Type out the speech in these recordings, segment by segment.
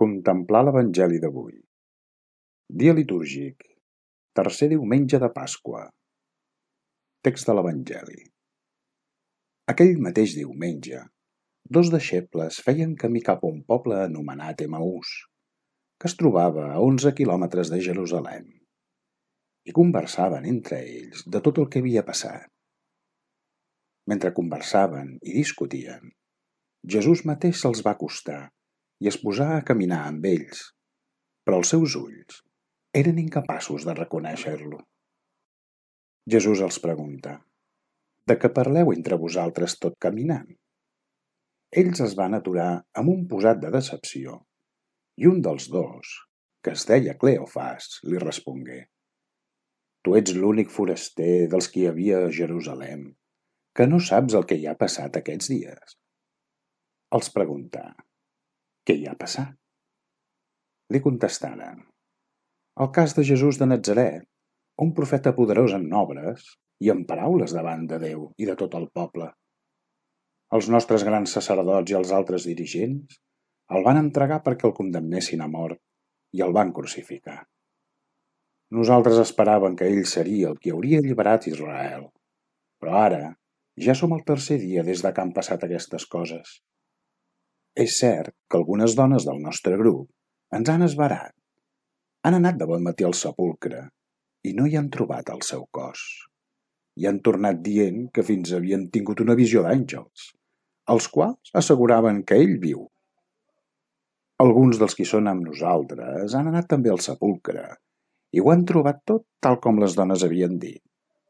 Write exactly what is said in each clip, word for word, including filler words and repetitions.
Contemplar l'Evangeli d'avui. Dia litúrgic, tercer diumenge de Pasqua. Text de l'Evangeli. Aquell mateix diumenge, dos deixebles feien camí cap a un poble anomenat Emaús, que es trobava a onze quilòmetres de Jerusalem, i conversaven entre ells de tot el que havia passat. Mentre conversaven i discutien, Jesús mateix se'ls va acostar i es posà a caminar amb ells, però els seus ulls eren incapaços de reconèixer-lo. Jesús els pregunta: «De què parleu entre vosaltres tot caminant?» Ells es van aturar amb un posat de decepció, i un dels dos, que es deia Cleofas, li respongué: «Tu ets l'únic foraster dels que hi havia a Jerusalem, que no saps el que hi ha passat aquests dies». Els preguntà: «Què hi ha passat?» Li contestaren: «El cas de Jesús de Natzaret, un profeta poderós en obres i en paraules davant de Déu i de tot el poble. Els nostres grans sacerdots i els altres dirigents el van entregar perquè el condemnessin a mort i el van crucificar. Nosaltres esperàvem que ell seria el qui hauria alliberat Israel, però ara ja som el tercer dia des de que han passat aquestes coses. És cert que algunes dones del nostre grup ens han esverat. Han anat de bon matí al sepulcre i no hi han trobat el seu cos. I han tornat dient que fins havien tingut una visió d'àngels, els quals asseguraven que ell viu. Alguns dels qui són amb nosaltres han anat també al sepulcre i ho han trobat tot tal com les dones havien dit,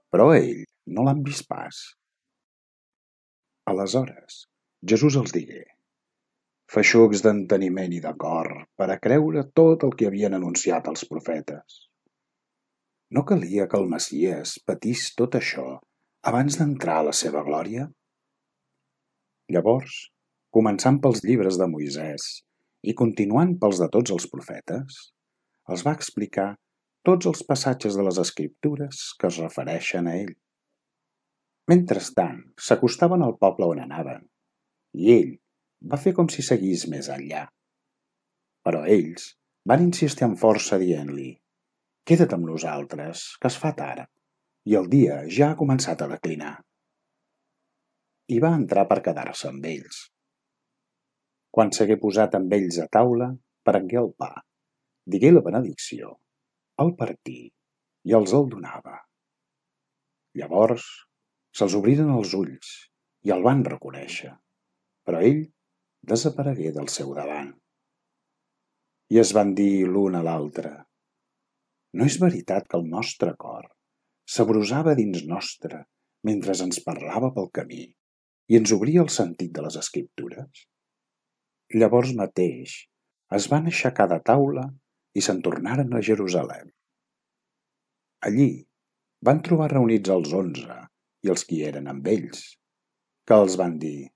però ell no l'han vist pas». Aleshores, Jesús els digué: «Feixucs d'enteniment i de cor per a creure tot el que havien anunciat els profetes. No calia que el Messies patís tot això abans d'entrar a la seva glòria?» Llavors, començant pels llibres de Moisès i continuant pels de tots els profetes, els va explicar tots els passatges de les Escriptures que es refereixen a ell. Mentrestant, s'acostaven al poble on anaven, i ell va fer com si seguís més enllà. Però ells van insistir amb força dient-li: «Queda't amb nosaltres, que es fa tard, i el dia ja ha començat a declinar». I va entrar per quedar-se amb ells. Quan s'hagué posat amb ells a taula, prengué el pa, digué la benedicció, el partí i els el donava. Llavors se'ls obriren els ulls i el van reconèixer, però ell desaparegué del seu davant. I es van dir l'un a l'altre: «No és veritat que el nostre cor s'abrusava dins nostre mentre ens parlava pel camí i ens obria el sentit de les Escriptures?» Llavors mateix es van aixecar de taula i se'n tornaren a Jerusalem. Allí van trobar reunits els onze i els qui eren amb ells, que els van dir: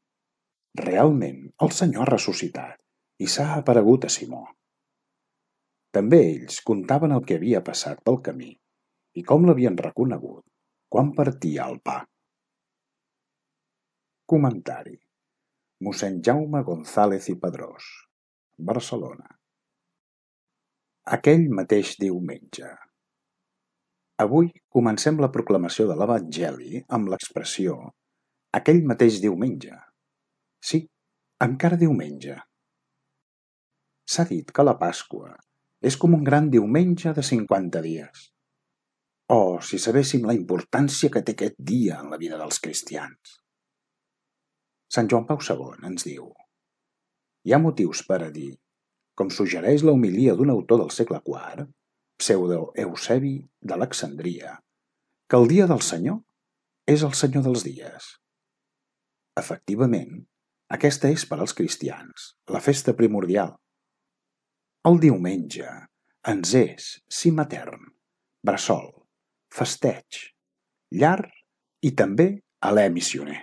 «Realment el Senyor ha ressuscitat i s'ha aparegut a Simó». També ells contaven el que havia passat pel camí i com l'havien reconegut quan partia el pa. Comentari: mossèn Jaume González i Padrós, Barcelona. Aquell mateix diumenge. Avui comencem la proclamació de l'Evangeli amb l'expressió «aquell mateix diumenge». Sí, encara diumenge. S'ha dit que la Pasqua és com un gran diumenge de cinquanta dies. Oh, si sabéssim la importància que té aquest dia en la vida dels cristians! Sant Joan Pau segon ens diu: «Hi ha motius per a dir, com suggereix la homilia d'un autor del segle quart, Pseudo Eusebi d'Alexandria, que el dia del Senyor és el Senyor dels dies». Efectivament, aquesta és per als cristians la festa primordial. El diumenge ens és sí matern, bressol, festeig, llar i també alè missioner.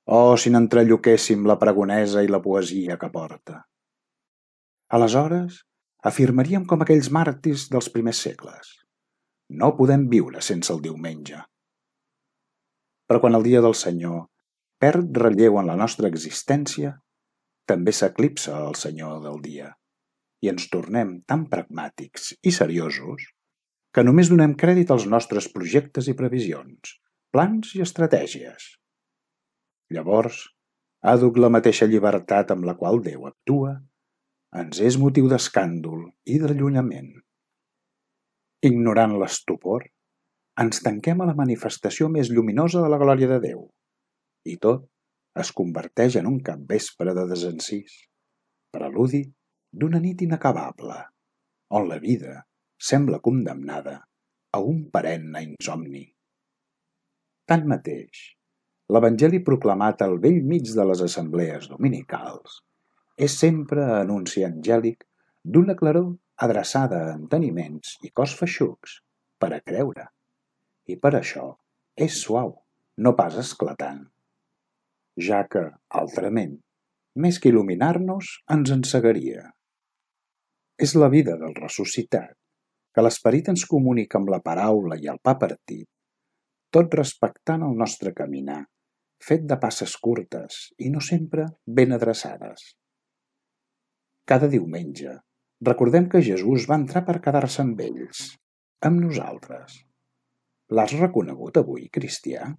Oh, si n'entrelloquéssim la pregonesa i la poesia que porta! Aleshores, afirmaríem com aquells màrtirs dels primers segles: no podem viure sense el diumenge. Però quan el dia del Senyor perd relleu en la nostra existència, també s'eclipsa el senyor del dia i ens tornem tan pragmàtics i seriosos que només donem crèdit als nostres projectes i previsions, plans i estratègies. Llavors, àdhuc la mateixa llibertat amb la qual Déu actua ens és motiu d'escàndol i d'allunyament. Ignorant l'estupor, ens tanquem a la manifestació més lluminosa de la glòria de Déu i tot es converteix en un capvespre de desencís, preludi d'una nit inacabable, on la vida sembla condemnada a un perenne insomni. Tanmateix, l'Evangeli proclamat al bell mig de les assemblees dominicals és sempre anunci angèlic d'una claror adreçada a enteniments i cos feixucs per a creure, i per això és suau, no pas esclatant, ja que, altrament, més que il·luminar-nos, ens encegaria. És la vida del ressuscitat, que l'esperit ens comunica amb la paraula i el pa partit, tot respectant el nostre caminar, fet de passes curtes i no sempre ben adreçades. Cada diumenge recordem que Jesús va entrar per quedar-se amb ells, amb nosaltres. L'has reconegut avui, cristià?